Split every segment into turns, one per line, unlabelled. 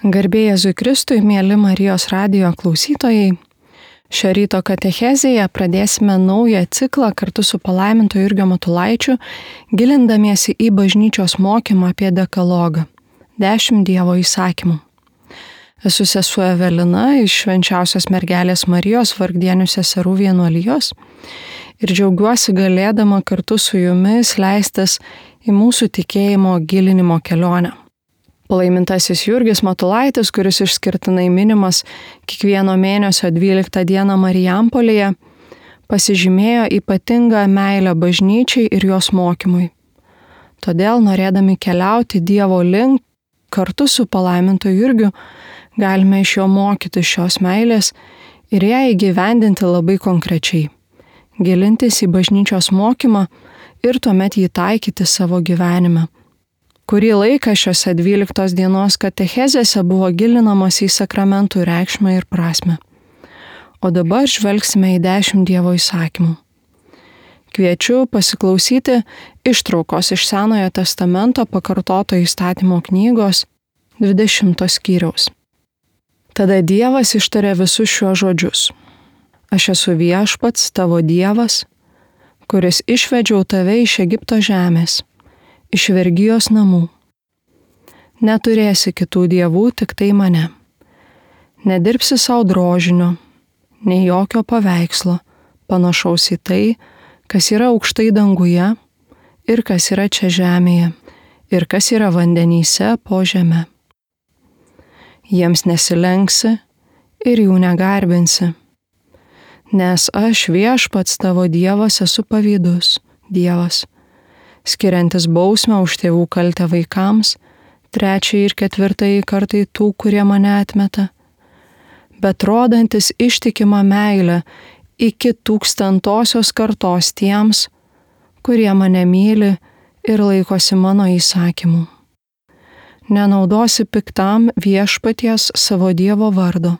Garbė Jėzui Kristui, mieli Marijos radijo klausytojai. Šio ryto katechezėje pradėsime naują ciklą kartu su palaiminto Jurgio Matulaičiu, gilindamiesi į bažnyčios mokymą apie dekalogą – 10 Dievo įsakymų. Esu sesuo Evelina iš Švenčiausios mergelės Marijos Vargdienių seserų vienuolijos ir džiaugiuosi galėdama kartu su jumis leistis į mūsų tikėjimo gilinimo kelionę. Palaimintasis Jurgis Matulaitis, kuris išskirtinai minimas kiekvieno mėnesio 12 dieną Marijampolėje, pasižymėjo ypatingą meilę bažnyčiai ir jos mokymui. Todėl, norėdami keliauti Dievo link, kartu su palaimintu Jurgiu, galime iš jo mokyti šios meilės ir ją įgyvendinti labai konkrečiai, gilintis į bažnyčios mokymą ir tuomet jį taikyti savo gyvenime. Kurį laiką šiose 12 dienos katechezėse buvo gilinamas į sakramentų reikšmę ir prasmę. O dabar žvelgsime į 10 Dievo įsakymų. Kviečiu pasiklausyti ištraukos iš Senojo testamento pakartoto įstatymo knygos 20 skyriaus. Tada Dievas ištarė visus šiuos žodžius. Aš esu viešpats, tavo Dievas, kuris išvedžiau tave iš Egipto žemės, iš vergijos namų. Neturėsi kitų dievų, tik tai mane. Nedirbsi savo drožinio, nei jokio paveikslo, panašaus į tai, kas yra aukštai danguje ir kas yra čia žemėje, ir kas yra vandenyse po žeme. Jiems nesilenksi ir jų negarbinsi, nes aš viešpats tavo Dievas esu pavydus, Dievas, skiriantis bausmę už tėvų kaltę vaikams, 3 ir 4 kartai tų, kurie mane atmeta, bet rodantis ištikimą meilę iki 1000 kartos tiems, kurie mane myli ir laikosi mano įsakymų. Nenaudosi piktam viešpaties savo Dievo vardo,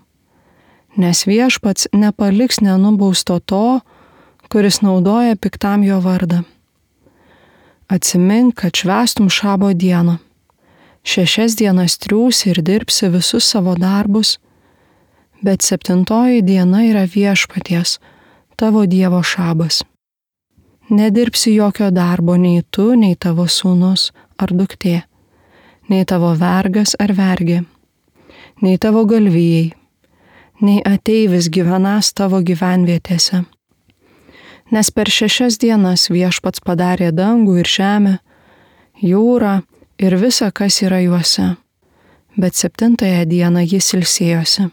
nes viešpats nepaliks nenubausto to, kuris naudoja piktam jo vardą. Atsimink, kad švęstum šabo dieną. 6 dienas triūsi ir dirbsi visus savo darbus, bet 7 diena yra viešpaties, tavo Dievo šabas. Nedirbsi jokio darbo nei tu, nei tavo sūnus ar duktė, nei tavo vergas ar vergė, nei tavo galvijai, nei ateivis gyvenas tavo gyvenvietėse. Nes per 6 dienas viešpats padarė dangų ir žemę, jūrą ir visa, kas yra juose, bet 7 dieną jis ilsėjosi.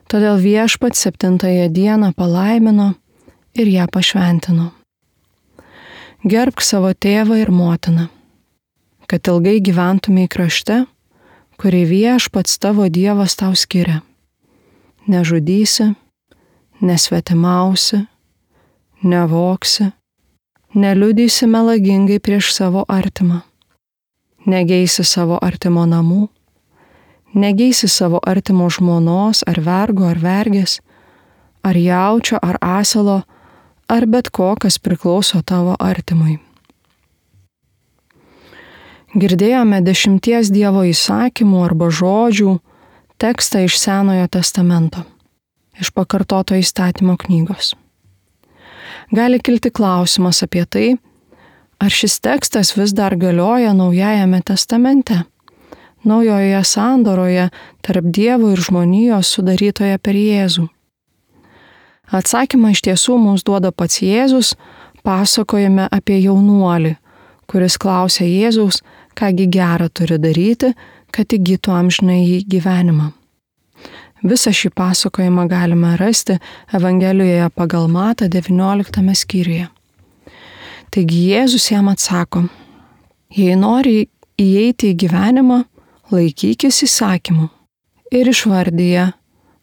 Todėl viešpats 7 dieną palaimino ir ją pašventino. Gerbk savo tėvą ir motiną, kad ilgai gyventumei krašte, kurį viešpats tavo Dievas tau skiria. Nežudysi, nesvetimausi, nevoksi, neliudysi melagingai prieš savo artimą, negeisi savo artimo namų, negeisi savo artimo žmonos ar vergo ar vergės, ar jaučio ar asilo, ar bet ko, kas priklauso tavo artimui. Girdėjome 10 Dievo įsakymų arba žodžių tekstą iš Senojo testamento, iš pakartoto įstatymo knygos. Gali kilti klausimas apie tai, ar šis tekstas vis dar galioja Naujajame testamente, naujoje sandoroje tarp Dievo ir žmonijos sudarytoje per Jėzų. Atsakymą iš tiesų mums duoda pats Jėzus, pasakojame apie jaunuolį, kuris klausė Jėzaus, kągi gera turi daryti, kad įgytų amžinąjį gyvenimą. Visą šį pasakojimą galime rasti Evangelijoje pagal Matą 19 skyriuje. Taigi Jėzus jam atsako, jei nori įeiti į gyvenimą, laikykis įsakymų ir išvardyja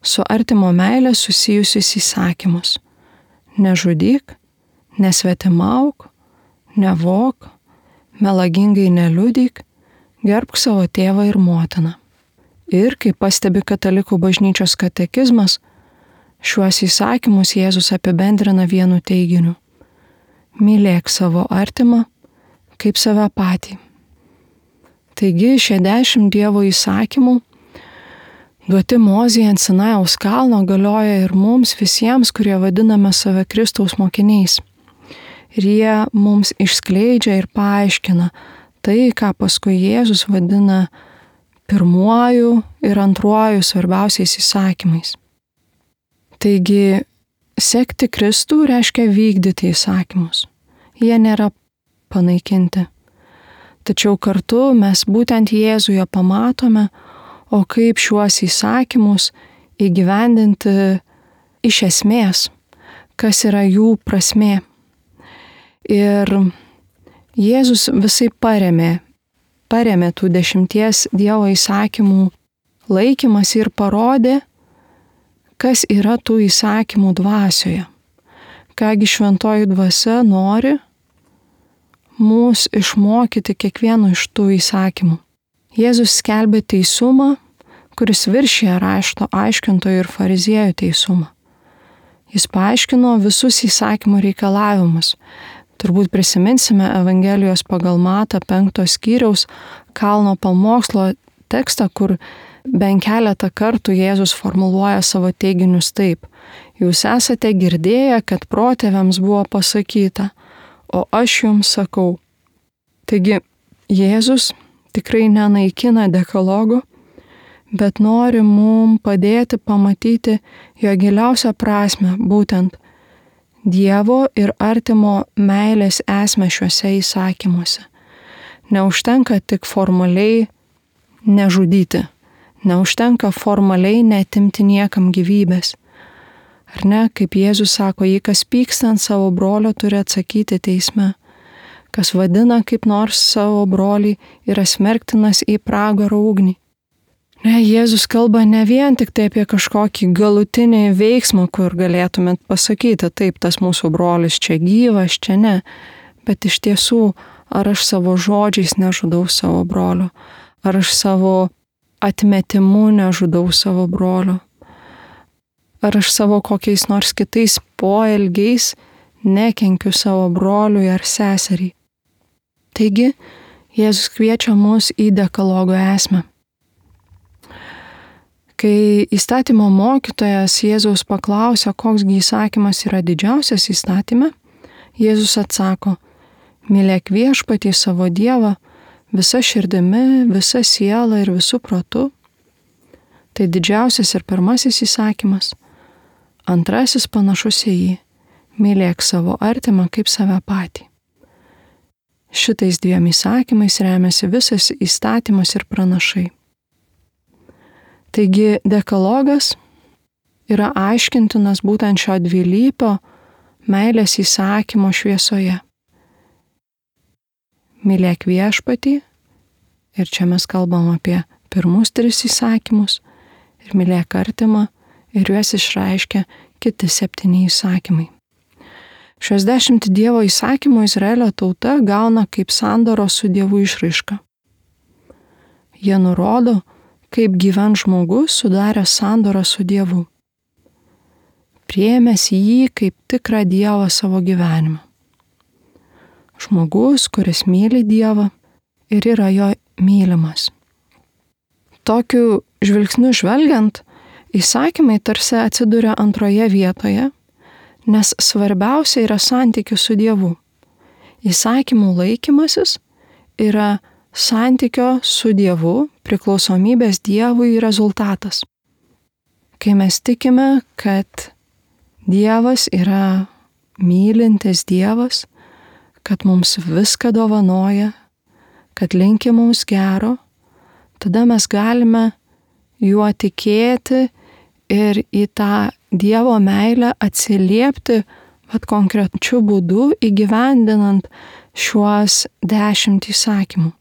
su artimo meilė susijusius įsakymus. Nežudyk, nesvetimauk, nevok, melagingai neliudyk, gerbk savo tėvą ir motiną. Ir, kaip pastebi Katalikų bažnyčios katekizmas, šiuos įsakymus Jėzus apibendrina vienu teiginiu. Mylėk savo artimą kaip save patį. Taigi šie 10 Dievo įsakymų duoti Mozei ant Sinajaus kalno, galioja ir mums visiems, kurie vadiname save Kristaus mokiniais. Ir jie mums išskleidžia ir paaiškina tai, ką paskui Jėzus vadina pirmuoju ir antruoju svarbiausiais įsakymais. Taigi, sekti Kristų reiškia vykdyti įsakymus. Jie nėra panaikinti. Tačiau kartu mes būtent Jėzuje pamatome, o kaip šiuos įsakymus įgyvendinti iš esmės, kas yra jų prasmė. Ir Jėzus visai paremė tų 10 Dievo įsakymų laikymasi ir parodė, kas yra tų įsakymų dvasioje. Kągi šventoji dvasia nori mus išmokyti kiekvieno iš tų įsakymų. Jėzus skelbė teisumą, kuris viršija rašto aiškintojų ir fariziejų teisumą. Jis paaiškino visus įsakymų reikalavimus. Turbūt prisiminsime Evangelijos pagal Matą 5 skyriaus kalno pamokslo tekstą, kur bent keletą kartų Jėzus formuluoja savo teiginius taip. Jūs esate girdėję, kad protėviams buvo pasakyta, o aš jums sakau. Taigi, Jėzus tikrai nenaikina dekalogų, bet nori mums padėti pamatyti jo giliausią prasmę, būtent Dievo ir artimo meilės esmę šiuose įsakymuose. Neužtenka tik formaliai nežudyti, neužtenka formaliai neatimti niekam gyvybės. Ar ne, kaip Jėzus sako, jei kas pyksta ant savo brolio, turi atsakyti teisme. Kas vadina kaip nors savo brolį, yra smerktinas į pragaro ugnį. Ne, Jėzus kalba ne vien tik tai apie kažkokį galutinį veiksmą, kur galėtumėt pasakyti, taip, tas mūsų brolis čia gyvas, čia ne, bet iš tiesų, ar aš savo žodžiais nežudau savo brolio, ar aš savo atmetimu nežudau savo brolio, ar aš savo kokiais nors kitais poelgiais nekenkiu savo broliui ar seseriai. Taigi, Jėzus kviečia mus į dekalogo esmę. Kai įstatymo mokytojas Jėzaus paklausė, koksgi įsakymas yra didžiausias įstatyme, Jėzus atsako, mylėk viešpatį savo Dievą visa širdimi, visa siela ir visų protu. Tai didžiausias ir pirmasis įsakymas. Antrasis panašus į jį, mylėk savo artimą kaip save patį. Šitais 2 įsakymais remiasi visas įstatymas ir pranašai. Taigi dekalogas yra aiškintinas būtent šio dvilypio meilės įsakymo šviesoje. Mylėk viešpatį, ir čia mes kalbam apie pirmus 3 įsakymus, ir mylėk artimą, ir juos išreiškia kiti 7 įsakymai. Šios 10 Dievo įsakymų Izraelio tauta gauna kaip sandoros su Dievu išraišką. Jie nurodo, kaip gyvent žmogus sudarė sandorą su Dievu, priėmęs jį kaip tikrą Dievą savo gyvenimą. Žmogus, kuris myli Dievą ir yra jo mylimas. Tokiu žvilgsniu žvelgiant, įsakymai tarsi atsiduria antroje vietoje, nes svarbiausia yra santykis su Dievu. Įsakymų laikymasis yra santykio su Dievu, priklausomybės Dievui rezultatas. Kai mes tikime, kad Dievas yra mylintis Dievas, kad mums viską dovanoja, kad linki mums gero, tada mes galime juo tikėti ir į tą Dievo meilę atsiliepti konkrečiu būdu įgyvendinant šiuos 10 įsakymų.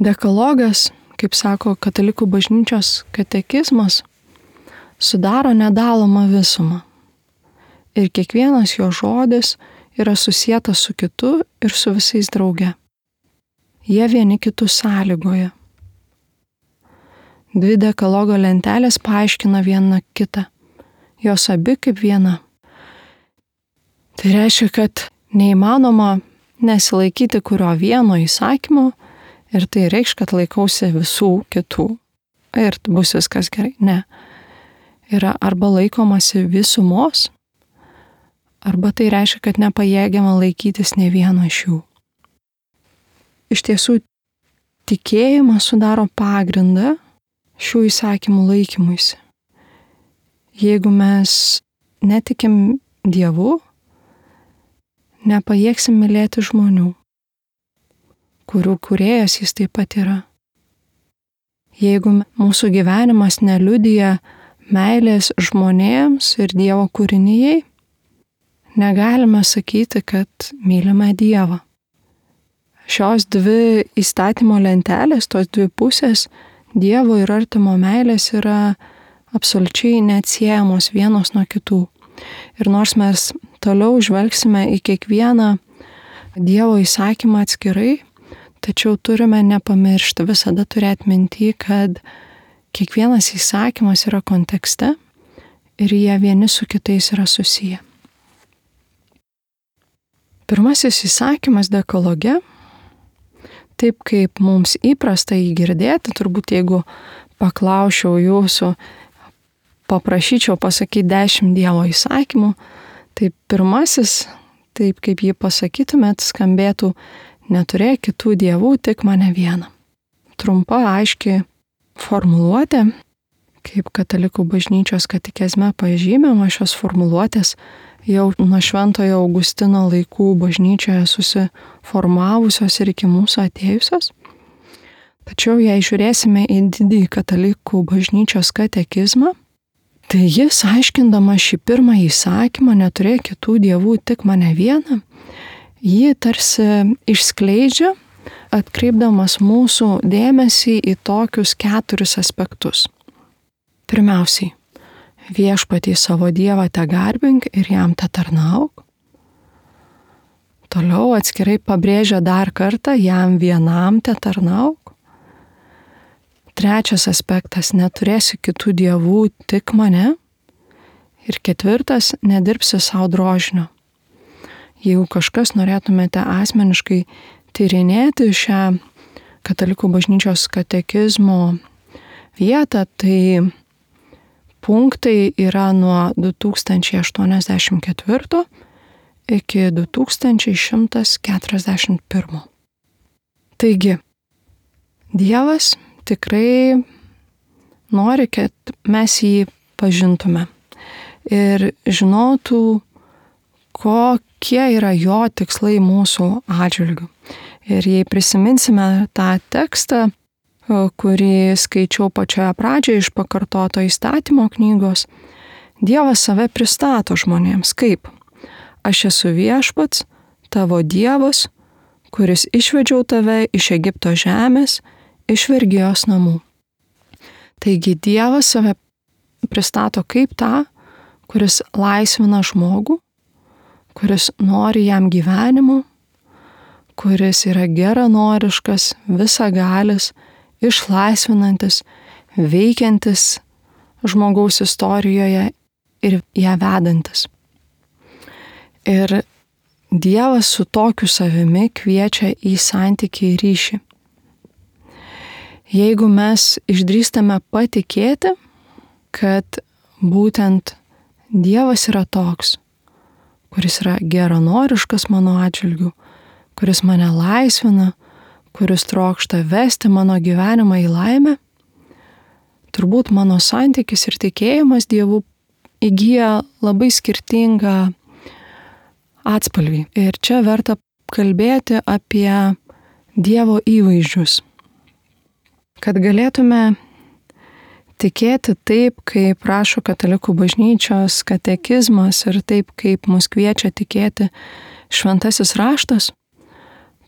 Dekalogas, kaip sako Katalikų bažnyčios katekizmas, sudaro nedalomą visumą. Ir kiekvienas jo žodis yra susietas su kitu ir su visais drauge. Jie vieni kitus sąlygoja. 2 dekalogo lentelės paaiškina vieną kitą. Jos abi kaip viena. Tai reiškia, kad neįmanoma nesilaikyti kurio vieno įsakymo, ir tai reikš, kad laikausi visų kitų. ir bus viskas gerai. Ne. Yra arba laikomasi visumos, arba tai reiškia, kad nepajėgiama laikytis ne vieno iš jų. Iš tiesų, tikėjimas sudaro pagrindą šių įsakymų laikymuisi. Jeigu mes netikim Dievu, nepajėgsim mylėti žmonių, kurių kūrėjas jis taip pat yra. Jeigu mūsų gyvenimas neliudija meilės žmonėms ir Dievo kūrinijai, negalime sakyti, kad mylime Dievą. Šios dvi įstatymo lentelės, tos dvi pusės, Dievo ir artimo meilės yra absoliučiai neatsiejamos vienos nuo kitų. Ir nors mes toliau žvelgsime į kiekvieną Dievo įsakymą atskirai, tačiau turime nepamiršti, visada turėti minty, kad kiekvienas įsakymas yra kontekste ir jie vieni su kitais yra susiję. Pirmasis įsakymas dekaloge, taip kaip mums įprasta jį girdėti, turbūt jeigu paklausčiau jūsų, paprašyčiau pasakyti 10 Dievo įsakymų, tai pirmasis, taip kaip jį pasakytumėt, skambėtų: neturėk kitų dievų, tik mane vieną. Trumpa, aiški formuluotė, kaip katalikų bažnyčios katekizme pažymima, šios formuluotės jau nuo Šventojo Augustino laikų bažnyčioje susiformavusios ir iki mūsų atėjusios. Tačiau jei žiūrėsime į didįjį katalikų bažnyčios katekizmą, tai jis, aiškindamas šį pirmąjį įsakymą, neturėk kitų dievų, tik mane vieną, jį tarsi išskleidžia, atkreipdamas mūsų dėmesį į tokius 4 aspektus. Pirmiausiai, viešpatį savo Dievą te garbink ir jam te tarnauk. Toliau atskirai pabrėžia dar kartą, jam vienam te tarnauk. Trečias aspektas, neturėsi kitų dievų, tik mane. Ir 4, nedirbsi savo drožinio. Jeigu kažkas norėtumėte asmeniškai tyrinėti šią katalikų bažnyčios katekizmo vietą, tai punktai yra nuo 2084 iki 2141. Taigi, Dievas tikrai nori, kad mes jį pažintume ir žinotų, kokie yra jo tikslai mūsų atžvilgiu. Ir jei prisiminsime tą tekstą, kurį skaičiau pačioje pradžioje iš pakartoto įstatymo knygos, Dievas save pristato žmonėms kaip: aš esu viešpats, tavo Dievas, kuris išvedžiau tave iš Egipto žemės, iš vergijos namų. Taigi Dievas save pristato kaip tą, kuris laisvina žmogų, kuris nori jam gyvenimo, kuris yra geranoriškas, visagalis, išlaisvinantis, veikiantis žmogaus istorijoje ir ją vedantis. Ir Dievas su tokiu savimi kviečia į santykį ir ryšį. Jeigu mes išdrįstame patikėti, kad būtent Dievas yra toks, kuris yra geranoriškas mano atžvilgiu, kuris mane laisvina, kuris trokšta vesti mano gyvenimą į laimę, turbūt mano santykis ir tikėjimas Dievu įgyja labai skirtingą atspalvį. Ir čia verta kalbėti apie Dievo įvaizdžius. Kad galėtume tikėti taip, kaip rašo katalikų bažnyčios katekizmas ir taip, kaip mus kviečia tikėti šventasis raštas,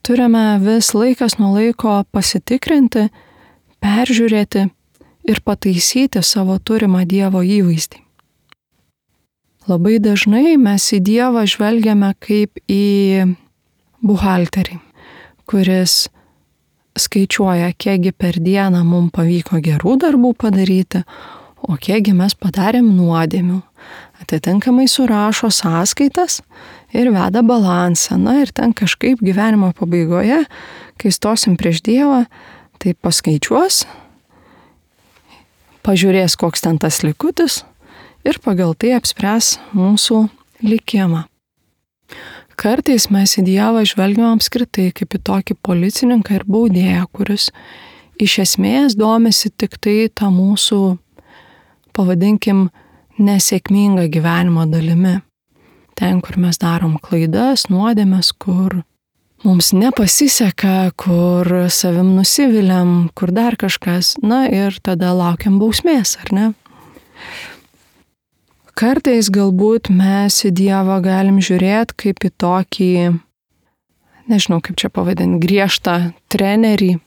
turime vis laikas nuo laiko pasitikrinti, peržiūrėti ir pataisyti savo turimą Dievo įvaizdį. Labai dažnai mes į Dievą žvelgiame kaip į buhalterį, kuris skaičiuoja, kiekgi per dieną mums pavyko gerų darbų padaryti, o kiekgi mes padarėm nuodėmių. Atitinkamai surašo sąskaitas ir veda balansą. Na ir ten kažkaip gyvenimo pabaigoje, kai stosim prieš Dievą, tai paskaičiuos pažiūrės, koks ten tas likutis ir pagal tai apspręs mūsų likimą. Kartais mes į Dievą žvelgiam apskritai kaip į tokį policininką ir baudėją, kuris iš esmės domisi tik tai tą mūsų, pavadinkim, nesėkmingą gyvenimo dalimi. Ten, kur mes darom klaidas, nuodėmes, kur mums nepasiseka, kur savim nusiviliam, kur dar kažkas, na ir tada laukiam bausmės, ar ne? Kartais galbūt mes į Dievą galim žiūrėti kaip į tokį, nežinau kaip čia pavadinti, griežtą trenerį,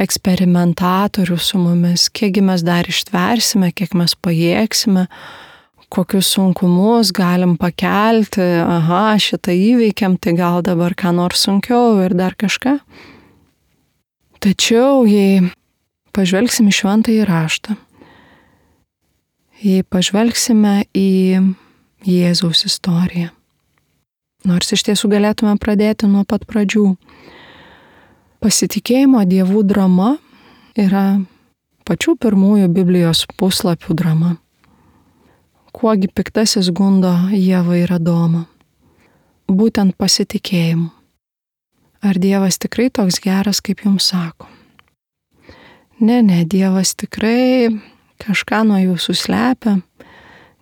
eksperimentatorių su mumis, kiekgi mes dar ištversime, kiek mes pajėgsime, kokius sunkumus galim pakelti, šitą įveikiam, tai gal dabar ką nors sunkiau ir dar kažką. Tačiau, jei pažvelgsime į Šventąjį Raštą, jei pažvelgsime į Jėzaus istoriją, nors iš tiesų galėtume pradėti nuo pat pradžių, pasitikėjimo Dievų drama yra pačių pirmųjų Biblijos puslapių drama. Kuogi piktasis gundo Ievą ir Adomą? Būtent pasitikėjimu. Ar Dievas tikrai toks geras, kaip jums sako? Ne, Dievas tikrai kažką nuo jūsų slepia.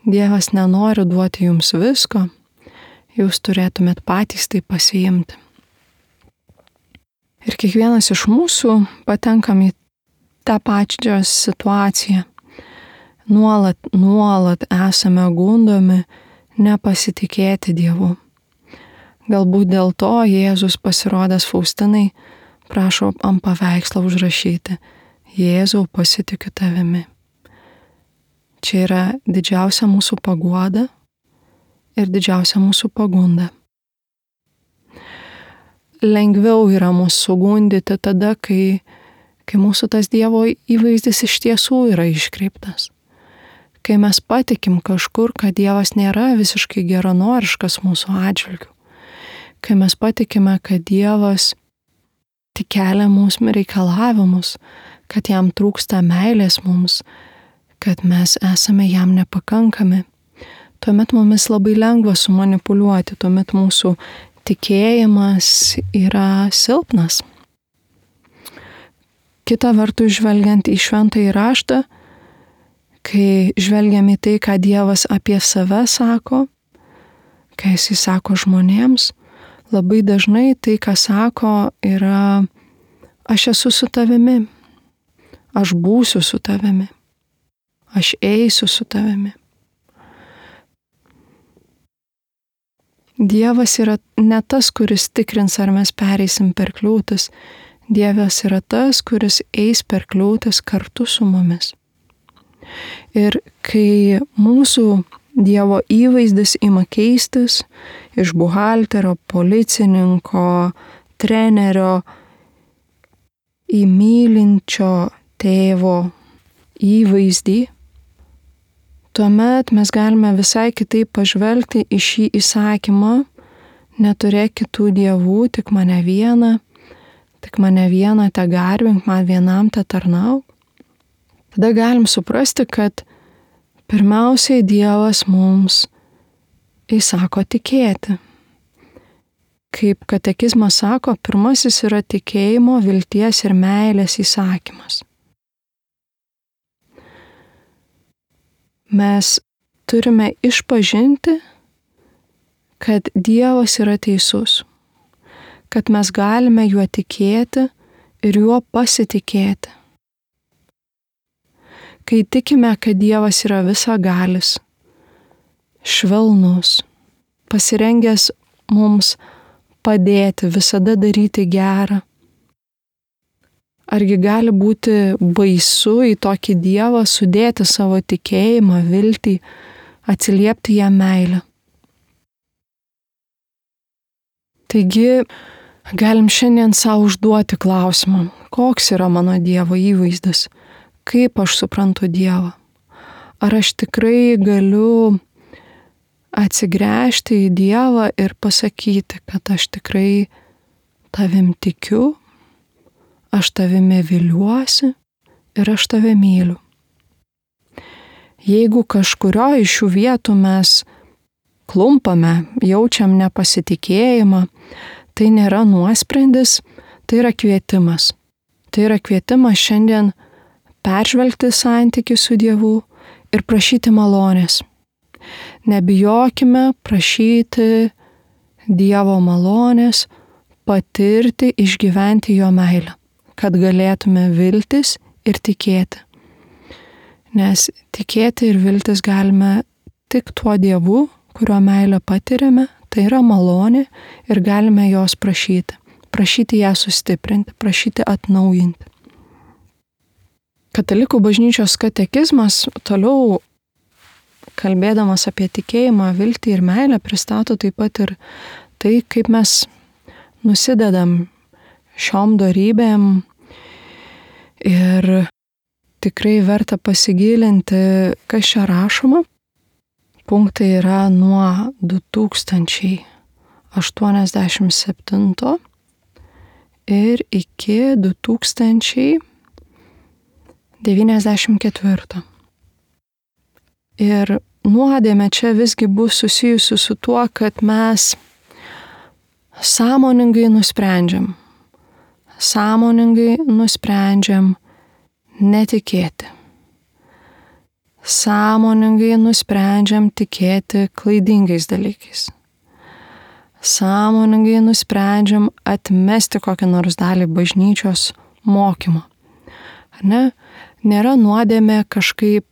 Dievas nenori duoti jums visko. Jūs turėtumėt patys tai pasiimti. Ir kiekvienas iš mūsų patenkam į tą pačią situaciją. Nuolat esame gundomi nepasitikėti Dievu. Galbūt dėl to Jėzus pasirodęs Faustinai prašo ant paveikslo užrašyti: Jėzau, pasitikiu tavimi. Čia yra didžiausia mūsų paguoda ir didžiausia mūsų pagunda. Lengviau yra mus sugundyti tada, kai mūsų tas Dievo įvaizdis iš tiesų yra iškreiptas. Kai mes patikim kažkur, kad Dievas nėra visiškai geranoriškas mūsų atžvilgiu. Kai mes patikime, kad Dievas tik kelia mūsų reikalavimus, kad jam trūksta meilės mums, kad mes esame jam nepakankami, tuomet mumis labai lengva sumanipuliuoti, tuomet mūsų tikėjimas yra silpnas. Kita vertus, žvelgiant į Šventąjį Raštą, kai žvelgiam į tai, ką Dievas apie save sako, kai jisai sako žmonėms, labai dažnai tai, ką sako, yra: aš esu su tavimi, aš būsiu su tavimi, aš eisiu su tavimi. Dievas yra ne tas, kuris tikrins, ar mes pereisim per kliūtis. Dievas yra tas, kuris eis per kliūtis kartu su mumis. Ir kai mūsų Dievo įvaizdis ima keistis iš buhalterio, policininko, trenerio į mylinčio tėvo įvaizdį, tuomet mes galime visai kitaip pažvelgti į šį įsakymą: neturėk kitų dievų, tik mane vieną te garbink, man vienam te tarnauk. Tada galim suprasti, kad pirmiausiai Dievas mums įsako tikėti. Kaip katekizmas sako, pirmasis yra tikėjimo, vilties ir meilės įsakymas. Mes turime išpažinti, kad Dievas yra teisus, kad mes galime juo tikėti ir juo pasitikėti. Kai tikime, kad Dievas yra visagalis, švelnus, pasirengęs mums padėti, visada daryti gerą, argi gali būti baisu į tokį Dievą sudėti savo tikėjimą, viltį, atsiliepti jam meilę? Taigi, galim šiandien savo užduoti klausimą, koks yra mano Dievo įvaizdis, kaip aš suprantu Dievą. Ar aš tikrai galiu atsigręžti į Dievą ir pasakyti, kad aš tikrai tavim tikiu, aš tavimi viliuosi ir aš tave myliu. Jeigu kažkurio iš šių vietų mes klumpame, jaučiam nepasitikėjimą, tai nėra nuosprendis, tai yra kvietimas. Tai yra kvietimas šiandien peržvelgti santykį su Dievu ir prašyti malonės. Nebijokime prašyti Dievo malonės, patirti, išgyventi jo meilę, kad galėtume viltis ir tikėti. Nes tikėti ir viltis galime tik tuo Dievu, kurio meilę patiriame, tai yra malonė ir galime jos prašyti. Prašyti ją sustiprinti, prašyti atnaujinti. Katalikų bažnyčios katekizmas toliau, kalbėdamas apie tikėjimą, viltį ir meilę, pristato taip pat ir tai, kaip mes nusidedam šiom dorybėm ir tikrai verta pasigilinti, kas čia rašoma. Punktai yra nuo 2087 ir iki 2094. Ir nuodėmė čia visgi bus susijusi su tuo, kad mes sąmoningai nusprendžiam netikėti. Sąmoningai nusprendžiam tikėti klaidingais dalykais. Sąmoningai nusprendžiam atmesti kokią nors dalį bažnyčios mokymo. Ar ne? Nėra nuodėmė kažkaip,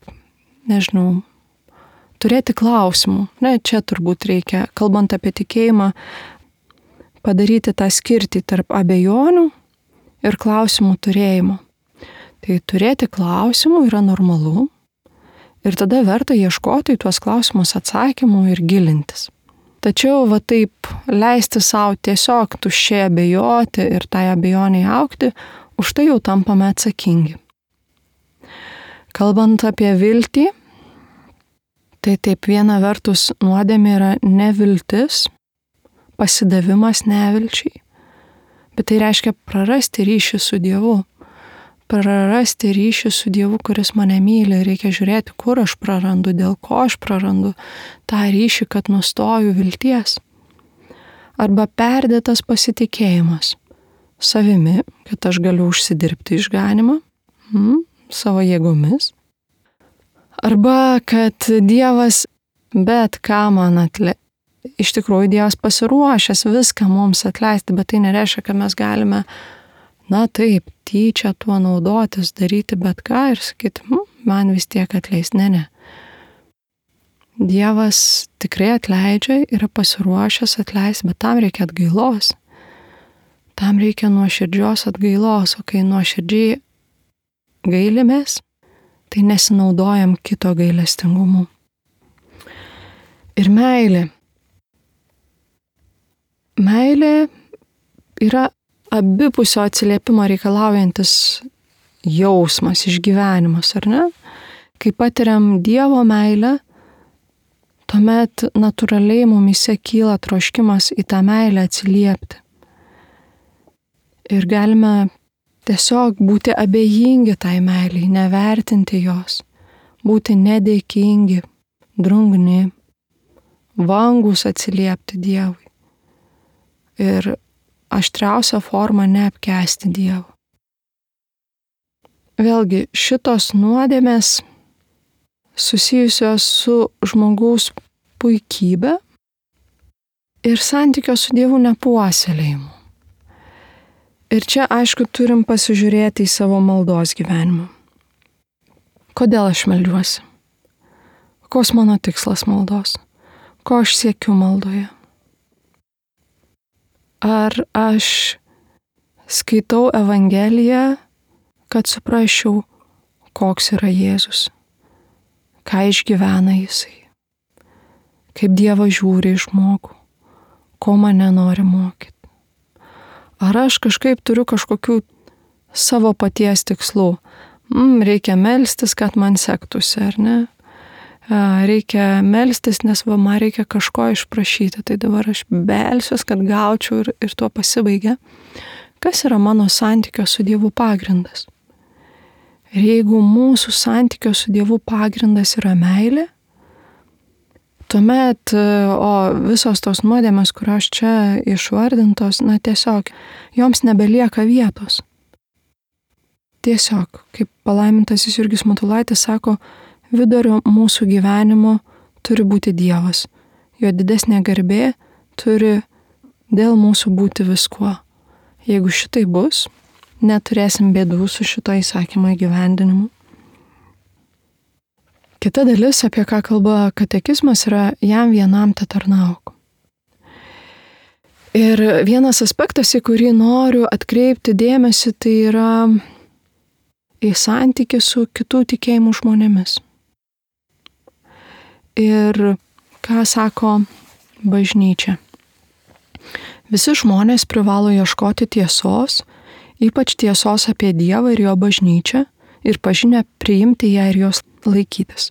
turėti klausimų. Ne, čia turbūt reikia, kalbant apie tikėjimą, padaryti tą skirtį tarp abejonių ir klausimų turėjimo. Tai turėti klausimų yra normalu ir tada verta ieškoti į tuos klausimus atsakymų ir gilintis. Tačiau taip leisti savo tiesiog tuščiai abejoti ir tai abejoniai augti, už tai jau tampame atsakingi. Kalbant apie viltį, tai taip viena vertus nuodėmė yra neviltis, pasidavimas nevilčiai, bet tai reiškia prarasti ryšį su Dievu. Prarasti ryšį su Dievu, kuris mane myli. Reikia žiūrėti, kur aš prarandu, dėl ko aš prarandu tą ryšį, kad nustoju vilties. Arba perdėtas pasitikėjimas savimi, kad aš galiu užsidirbti išganimą savo jėgomis. Arba kad Dievas bet ką man atleis. Iš tikrųjų, Dievas pasiruošęs viską mums atleisti, bet tai nereiškia, kad mes galime taip, tyčia tuo naudotis, daryti bet ką ir sakyti, man vis tiek atleis. Ne. Dievas tikrai atleidžia, yra pasiruošęs atleisti, bet tam reikia atgailos. Tam reikia nuoširdžios atgailos, o kai nuoširdžiai gailimės, tai nesinaudojam kito gailestingumu. Ir meilė. Meilė yra abipusio atsiliepimo reikalaujantis jausmas, išgyvenimas, ar ne? Kai patiriam Dievo meilę, tuomet natūraliai mumyse kyla troškimas į tą meilę atsiliepti. Ir galime tiesiog būti abejingi tai meiliai, nevertinti jos, būti nedėkingi, drungni, vangus atsiliepti Dievui. Ir aštriausia forma neapkęsti Dievo. Vėlgi, šitos nuodėmės susijusios su žmogaus puikybė ir santykio su Dievu nepuoselėjimu. Ir čia, aišku, turim pasižiūrėti į savo maldos gyvenimą. Kodėl aš meldiuosi? Koks mano tikslas maldos? Ko aš siekiu maldoje? Ar aš skaitau Evangeliją, kad suprasčiau, koks yra Jėzus, ką išgyvena Jisai, kaip Dievas žiūri į žmogų, ko mane nori mokyti. Ar aš kažkaip turiu kažkokių savo paties tikslų? Reikia melstis, kad man sektųsi, ar ne? Reikia melstis, nes man reikia kažko išprašyti, tai dabar aš belsiuos, kad gaučiau ir tuo pasibaigia. Kas yra mano santykio su Dievu pagrindas? Ir jeigu mūsų santykio su Dievu pagrindas yra meilė, tuomet, o visos tos nuodėmės, kurios čia išvardintos, tiesiog joms nebelieka vietos. Tiesiog, kaip palaimintasis Jurgis Matulaitis sako, vidurio mūsų gyvenimo turi būti Dievas. Jo didesnė garbė turi dėl mūsų būti viskuo. Jeigu šitai bus, neturėsim bėdų su šito įsakymo įgyvendinimu. Kita dalis, apie ką kalba katekizmas, yra jam vienam tetarnauk. Ir vienas aspektas, į kurį noriu atkreipti dėmesį, tai yra į santykį su kitų tikėjimų žmonėmis. Ir ką sako bažnyčia? Visi žmonės privalo ieškoti tiesos, ypač tiesos apie Dievą ir jo bažnyčią, ir pažinę priimti ją ir jos laikytis.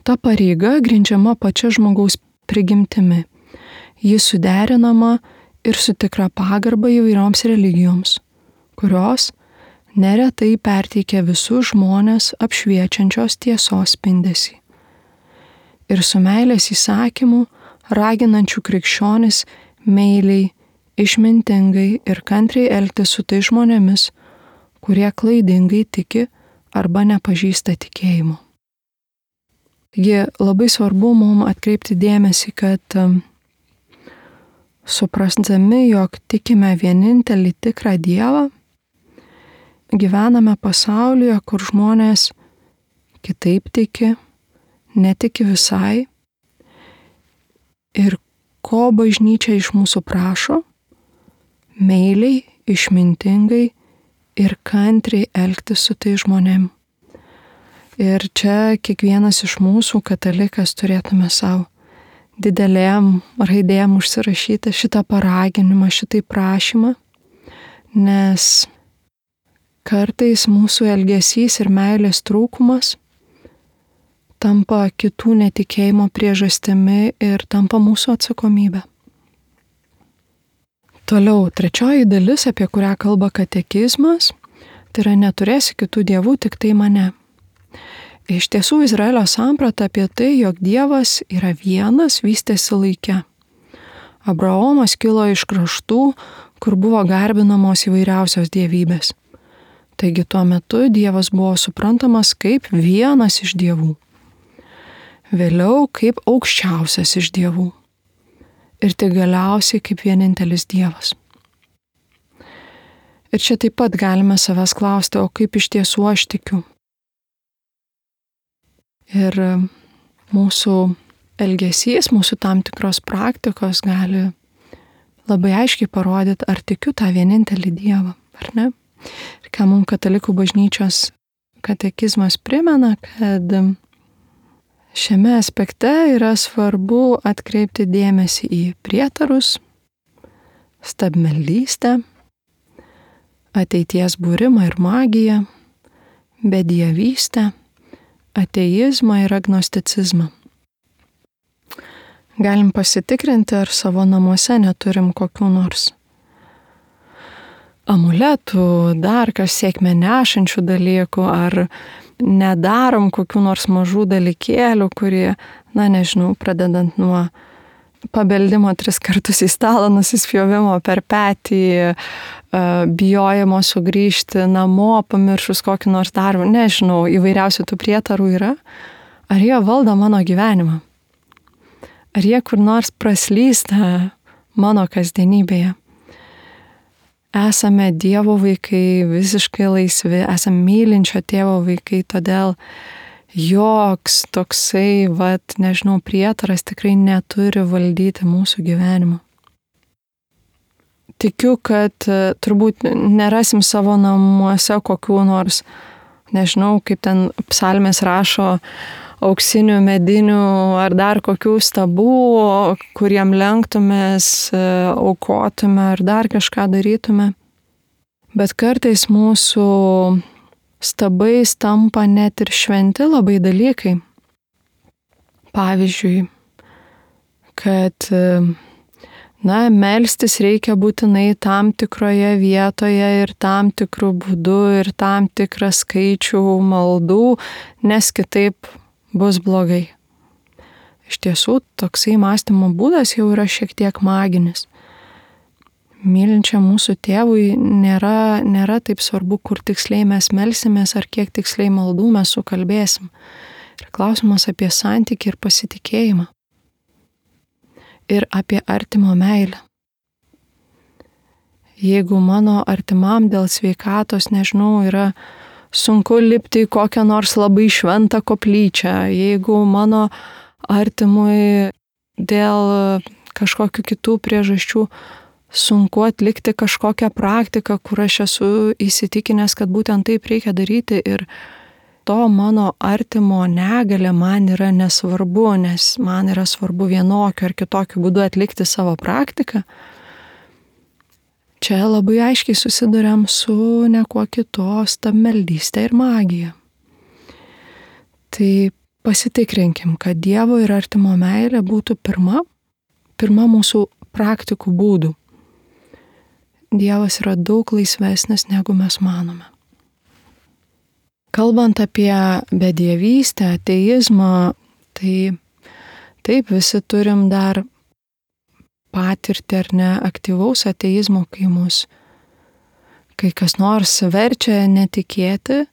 Ta pareiga grindžiama pačia žmogaus prigimtimi. Ji suderinama ir su tikra pagarba įvairioms religijoms, kurios neretai perteikia visus žmonės apšviečiančios tiesos spindesį. Ir su meilės įsakymu, raginančių krikščionis meiliai, išmintingai ir kantriai elgtis su tai žmonėmis, kurie klaidingai tiki arba nepažįsta tikėjimo. Taigi labai svarbu mums atkreipti dėmesį, kad suprasdami, jog tikime vienintelį tikrą Dievą, gyvename pasaulyje, kur žmonės kitaip tiki, netiki visai. Ir ko bažnyčia iš mūsų prašo? Meiliai, išmintingai ir kantriai elgtis su tai žmonėm. Ir čia kiekvienas iš mūsų katalikas turėtume savo didelėm raidėm užsirašyti šitą paraginimą, šitai prašymą, nes kartais mūsų elgesys ir meilės trūkumas tampa kitų netikėjimo priežastimi ir tampa mūsų atsakomybė. Toliau, trečioji dalis, apie kurią kalba katekizmas, tai yra neturėsi kitų dievų, tik tai mane. Iš tiesų, Izraelio samprata apie tai, jog Dievas yra vienas, vystėsi laike. Abraomas kilo iš kraštų, kur buvo garbinamos įvairiausios dievybės. Taigi tuo metu Dievas buvo suprantamas kaip vienas iš dievų. Vėliau kaip aukščiausias iš dievų. Ir tik galiausiai kaip vienintelis Dievas. Ir čia taip pat galime savęs klausti, o kaip iš tiesų aš tikiu? Ir mūsų elgesys, mūsų tam tikros praktikos gali labai aiškiai parodyti, ar tikiu tą vienintelį Dievą, ar ne? Ir ką mums katalikų bažnyčios katekizmas primena, kad šiame aspekte yra svarbu atkreipti dėmesį į prietarus, stabmeldystę, ateities būrimą ir magiją, bedievystę, ateizmą ir agnosticizmą. Galim pasitikrinti, ar savo namuose neturim kokių nors amuletų, dar kas sėkmę nešančių dalykų, ar nedarom kokių nors mažų dalykėlių, kurie, pradedant nuo pabeldimo 3 kartus į stalą, nusispjovimo per petį, bijojimo sugrįžti namo, pamiršus kokį nors darbą, įvairiausių tų prietarų yra. Ar jie valdo mano gyvenimą? Ar jie kur nors praslysta mano kasdienybėje? Esame Dievo vaikai, visiškai laisvi, esame mylinčio tėvo vaikai, todėl joks toksai, prietaras tikrai neturi valdyti mūsų gyvenimo. Tikiu, kad turbūt nerasim savo namuose kokių nors, kaip ten psalmės rašo, auksinių, medinių ar dar kokių stabų, kuriem lenktumės, aukotume ar dar kažką darytume. Bet kartais mūsų stabais tampa net ir šventi labai dalykai. Pavyzdžiui, kad melstis reikia būtinai tam tikroje vietoje ir tam tikrų būdų ir tam tikrą skaičių maldų, nes kitaip bus blogai. Iš tiesų, toksai mąstymo būdas jau yra šiek tiek maginis. Mylinčiam mūsų tėvui nėra taip svarbu, kur tiksliai mes melsimės ar kiek tiksliai maldų mes sukalbėsim. Ir klausimas apie santykį ir pasitikėjimą. Ir apie artimo meilę. Jeigu mano artimam dėl sveikatos, yra sunku lipti į kokią nors labai šventą koplyčią, jeigu mano artimui dėl kažkokių kitų priežasčių sunku atlikti kažkokią praktiką, kur aš esu įsitikinęs, kad būtent taip reikia daryti ir to mano artimo negalė man yra nesvarbu, nes man yra svarbu vienokiu ar kitokiu būdu atlikti savo praktiką. Čia labai aiškiai susiduriam su niekuo kitu, stabmeldystė ir magija. Tai pasitikrinkim, kad Dievo ir artimo meilė būtų pirma mūsų praktikų būdų. Dievas yra daug laisvesnis, negu mes manome. Kalbant apie bedievystę, ateizmą, tai taip visi turim dar patirtį ar ne aktyvaus ateizmo, kai kas nors verčia netikėti,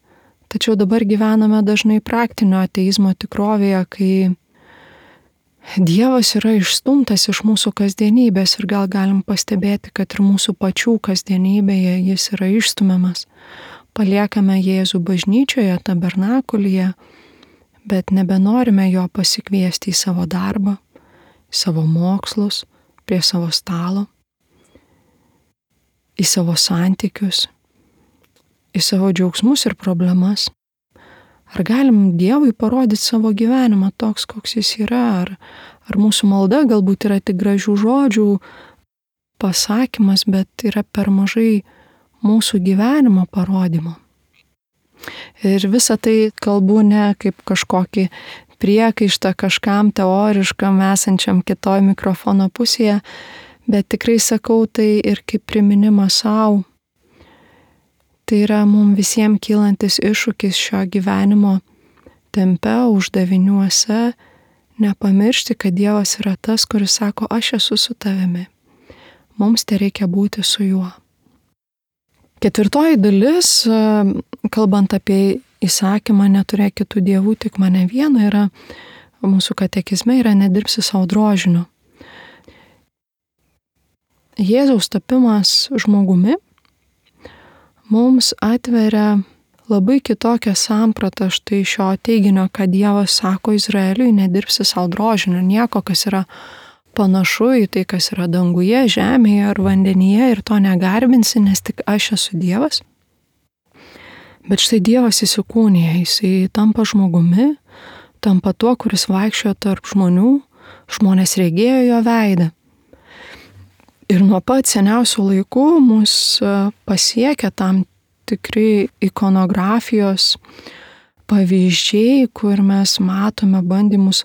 tačiau dabar gyvename dažnai praktinio ateizmo tikrovėje, kai Dievas yra išstumtas iš mūsų kasdienybės ir gal galim pastebėti, kad ir mūsų pačių kasdienybėje jis yra išstumiamas. Paliekame Jėzų bažnyčioje, tabernakulyje, bet nebenorime jo pasikviesti į savo darbą, į savo mokslus, prie savo stalo, į savo santykius, į savo džiaugsmus ir problemas. Ar galim Dievui parodyti savo gyvenimą toks, koks jis yra? Ar mūsų malda galbūt yra tik gražių žodžių pasakymas, bet yra per mažai mūsų gyvenimo parodymo? Ir visą tai kalbu ne kaip kažkokį priekaištą kažkam teoriškam esančiam kitoj mikrofono pusėje, bet tikrai sakau tai ir kaip priminimą savo. Tai yra mums visiems kylantis iššūkis šio gyvenimo tempe, uždaviniuose, nepamiršti, kad Dievas yra tas, kuris sako, aš esu su tavimi. Mums tai reikia būti su juo. Ketvirtoji dalis, kalbant apie įsakymą neturėk kitų dievų, tik mane vieną, yra mūsų katekizme yra nedirbsi savo drožiniu. Jėzaus tapimas žmogumi mums atveria labai kitokią sampratą štai šio teiginio, kad Dievas sako Izraeliui, nedirbsi savo drožinio, nieko, kas yra panašu į tai, kas yra danguje, žemėje ar vandenyje ir to negarbinsi, nes tik aš esu Dievas. Bet štai Dievas įsikūnija, jisai tampa žmogumi, tampa tuo, kuris vaikščiojo tarp žmonių, žmonės regėjo jo veidą. Ir nuo pat seniausių laikų mus pasiekia tam tikri ikonografijos pavyzdžiai, kur mes matome bandymus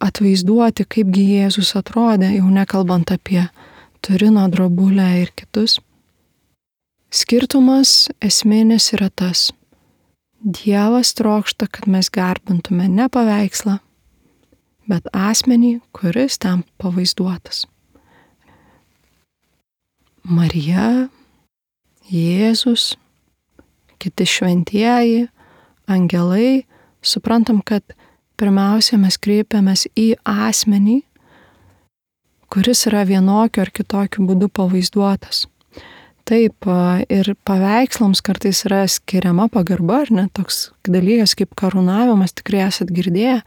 atvaizduoti, kaipgi Jėzus atrodė, jau nekalbant apie Turino drobulę ir kitus. Skirtumas esminis yra tas. Dievas trokšta, kad mes garbintume ne paveikslą, bet asmenį, kuris ten pavaizduotas. Marija, Jėzus, kiti šventieji, angelai, suprantam, kad pirmiausia mes kreipiamės į asmenį, kuris yra vienokiu ar kitokiu būdu pavaizduotas. Taip, ir paveikslams kartais yra skiriama pagarba, ar ne, toks dalykas kaip karūnavimas, tikrai esat girdėję,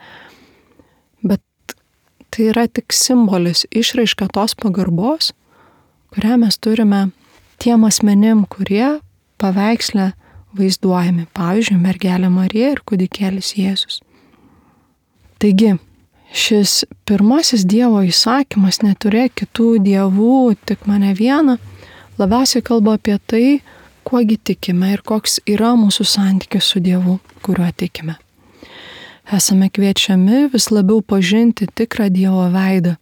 bet tai yra tik simbolis, išraiška tos pagarbos, kurią mes turime tiem asmenim, kurie paveiksle vaizduojami, pavyzdžiui, mergelė Marija ir kūdikėlis Jėzus. Taigi, šis pirmasis Dievo įsakymas neturėk kitų dievų, tik mane vieną, labiausiai kalba apie tai, kuogi tikime ir koks yra mūsų santykis su Dievu, kuriuo tikime. Esame kviečiami vis labiau pažinti tikrą Dievo veidą,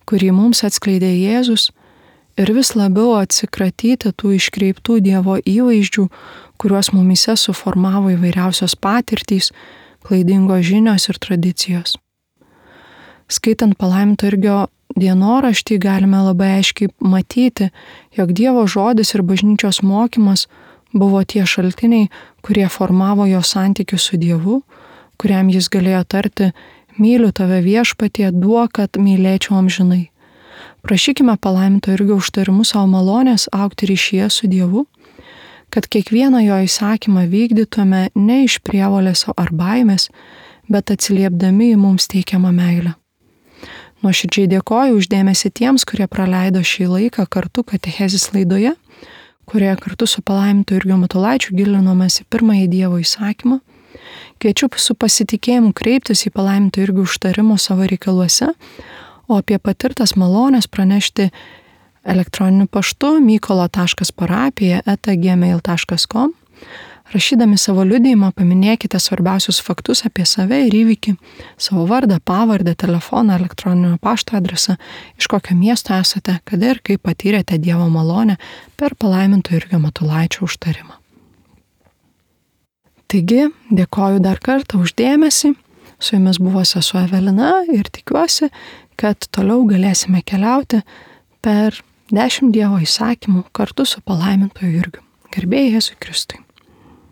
kurį mums atskleidė Jėzus, ir vis labiau atsikratyti tų iškreiptų Dievo įvaizdžių, kuriuos mumyse suformavo įvairiausios patirtys, klaidingos žinios ir tradicijos. Skaitant palaiminto Jurgio dienoraštį galime labai aiškiai matyti, jog Dievo žodis ir bažnyčios mokymas buvo tie šaltiniai, kurie formavo jo santykius su Dievu, kuriam jis galėjo tarti: myliu tave viešpatie, duok, kad mylėčiau amžinai. Prašykime palaiminto Jurgio užtarimu savo malonės augti ryšyje su Dievu, kad kiekvieną jo įsakymą vykdytume ne iš prievolės ar baimės, bet atsiliepdami į mums teikiamą meilę. Nuoširdžiai dėkoju už dėmesį tiems, kurie praleido šį laiką kartu katechezės laidoje, kurioje kartu su palaimintu Jurgiu Matulaičiu gilinomės į pirmąjį Dievo įsakymą. Kviečiu su pasitikėjimu kreiptis į palaiminto Jurgio užtarimo savo reikaluose, o apie patirtas malonės pranešti elektroniniu paštu mykolo.parapija@gmail.com. Rašydami savo liudijimą paminėkite svarbiausius faktus apie save ir įvykį, savo vardą, pavardę, telefoną, elektroninio pašto adresą, iš kokio miesto esate, kada ir kaip patyrėte Dievo malonę per palaiminto Jurgio Matulaičio užtarimą. Taigi, dėkoju dar kartą už dėmesį, su jumis buvo sesuo Evelina ir tikiuosi, kad toliau galėsime keliauti per 10 Dievo įsakymų kartu su palaimintoju Jurgiu. Garbė Jėzui Kristui.